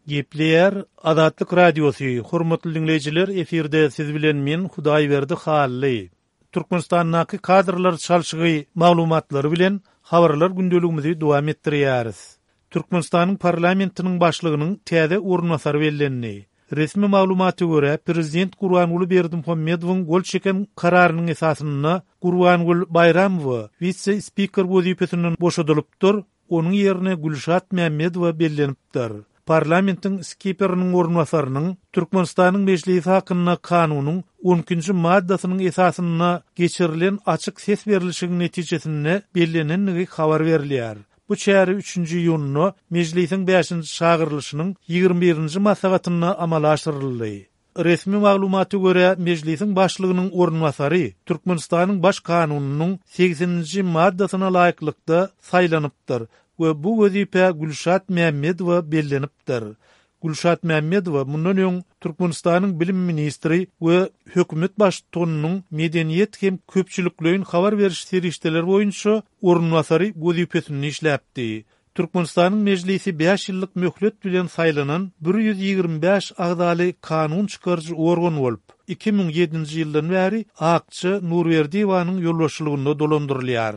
Gepleýär Azatlyk Radiosy, Hormatly diňleýjiler, efirde siz bilen men Hudaýberdi Hally. Türkmenistandaky kadrlar çalşygy maglumatlary bilen habarlar gündeligimizi dowam etdirýäris. Türkmenistanyň parlamentiniň başlygynyň täze orunbasary bellendi. Resmi maglumata görä, prezident Gurbanguly Berdimuhamedowyň gol çeken kararynyň esasynda Gurbangül Baýramowa wise-spiker wezipesinden boşadylypdyr, Onuň ýerine Gülşat Mämmedowa bellenipdir. Parlamentiň skiperiniň orunbasarynyň Türkmenistanyň Mejlisi hakynda Kanunyň on ikinji maddasynyň esasynda geçirilen açyk ses berlişigiň netijesinde bellenendigi habar berilýär. Bu çäre üçünji iýunda Mejlisiň bäşinji çagyrylyşynyň 21-nji maslahatynda amala aşyryldy. Resmi maglumata görä, Mejlisiň Başlygynyň orunbasary Türkmenistanyň Baş Kanunynyň segseninji maddasyna laýyklykda saýlanypdyr we bu wezipä Gülşat Mämmedowa bellenipdir. Gülşat Mämmedowa mundan öň Türkmenistanyň bilim ministri we hökümet baştutanynyň medeniýet hem köpçülikleýin habar beriş serişdeleri boýunça orunbasary wezipesinde işläpdi. Türkmenistanyň Mejlisi bäş ýyllyk möhlet bilen saýlanan 125 agzaly kanun çykaryjy organ bolup, 2007-nji ýyldan bäri Akja Nurberdiýewanyň ýolbaşçylygynda dolandyrylýar.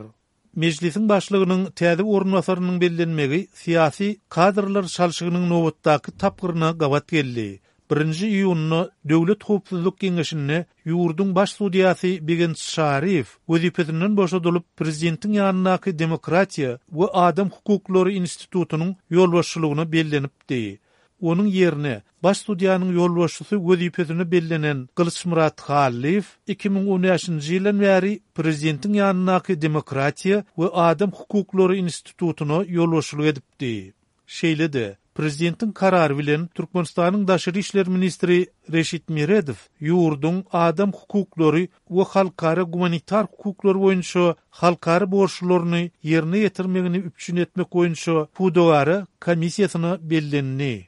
Mejlisiň başlygynyň täze orunbasarynyň bellenmegi syýasy kadrlar çalşygynyň nobatdaky tapgyryna gabat geldi. Birinji iýunda Döwlet howpsuzlyk geňeşinde ýurduň baş sudýasy Begenç Çaryýew wezipesinden boşadylyp, prezidentiň ýanyndaky Demokratiýa we adam hukuklary institutynyň ýolbaşçylygyna bellenipdi. Onuň ýerine baş sudýanyň ýolbaşçysy wezipesine bellenen Gylyçmyrat Hallyýew 2015-nji ýyldan bäri prezidentiň ýanyndaky Demokratiýa we adam hukuklary institutyna ýolbaşçylyk edipdi. Şeýle-de, prezidentiň karary bilen Türkmenistanyň daşary işler ministri Reşit Meredow ýurduň adam hukuklary we halkara gumanitar hukuklary boýunça halkara borçlularyny ýerine ýetirmegini üpjün etmek boýunça pudagara komissiýasyna bellendi.